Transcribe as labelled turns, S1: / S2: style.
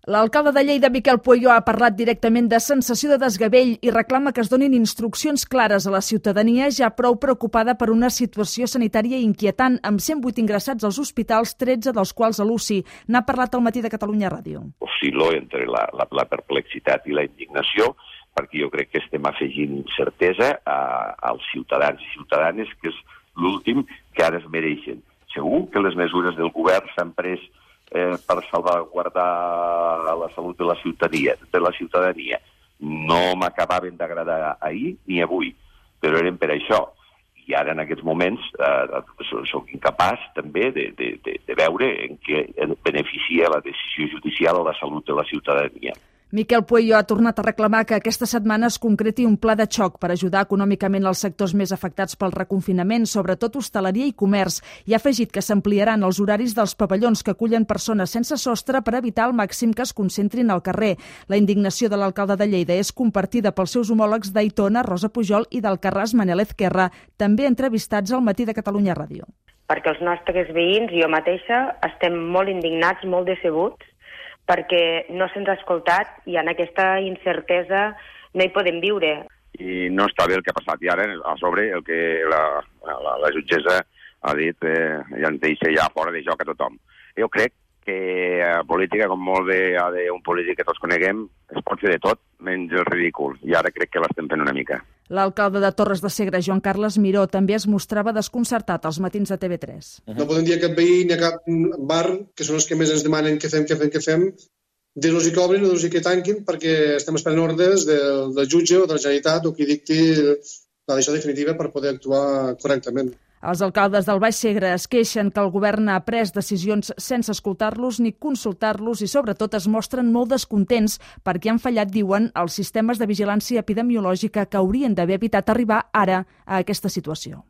S1: L'alcalde de Lleida, Miquel Pueyo, ha parlat directament de sensació de desgavell i reclama que es donin instruccions clares a la ciutadania ja prou preocupada per una situació sanitària inquietant, amb 108 ingressats als hospitals, 13 dels quals a l'UCI. N'ha parlat al Matí de Catalunya Ràdio.
S2: Oscil·lo entre la perplexitat i la indignació, perquè jo crec que estem afegint incertesa als ciutadans i ciutadanes, que és l'últim que ara es mereixen. Segur que les mesures del govern s'han pres per salvaguardar la salut de la ciutadania. No m'acabaven d'agradar ahir ni avui, però eren per això. I ara, en aquests moments, soc incapaç també de veure en què beneficia la decisió judicial a la salut de la ciutadania.
S1: Miquel Pueyo ha tornat a reclamar que aquesta setmana es concreti un pla de xoc per ajudar econòmicament els sectors més afectats pel reconfinament, sobretot hostaleria i comerç, i ha afegit que s'ampliaran els horaris dels pavellons que acullen persones sense sostre per evitar al màxim que es concentrin al carrer. La indignació de l'alcalde de Lleida és compartida pels seus homòlegs d'Aitona, Rosa Pujol, i d'Alcarràs, Manel Ezquerra, també entrevistats al Matí de Catalunya Ràdio.
S3: Perquè els nostres veïns i jo mateixa estem molt indignats, molt decebuts, perquè no se'ns ha escoltat i en aquesta incertesa no hi podem viure.
S4: I no està bé el que ha passat. I ara, a sobre, el que la jutgessa ha dit ja ens deixa ja fora de joc a tothom. Jo crec que a política, com molt bé ha d'un polític que tots coneguem, es pot fer de tot, menys el ridícul. I ara crec que l'estem fent una mica.
S1: L'alcalde de Torres de Segre, Joan Carles Miró, també es mostrava desconcertat als matins de TV3.
S5: No podem dir a cap veí ni a cap bar, que són els que més ens demanen què fem, dir-los que obrin o dir-los que tanquin, perquè estem esperant ordres del jutge o de la Generalitat o qui dicti la decisió definitiva per poder actuar correctament.
S1: Els alcaldes del Baix Segre es queixen que el govern ha pres decisions sense escoltar-los ni consultar-los i, sobretot, es mostren molt descontents perquè han fallat, diuen, els sistemes de vigilància epidemiològica que haurien d'haver evitat arribar ara a aquesta situació.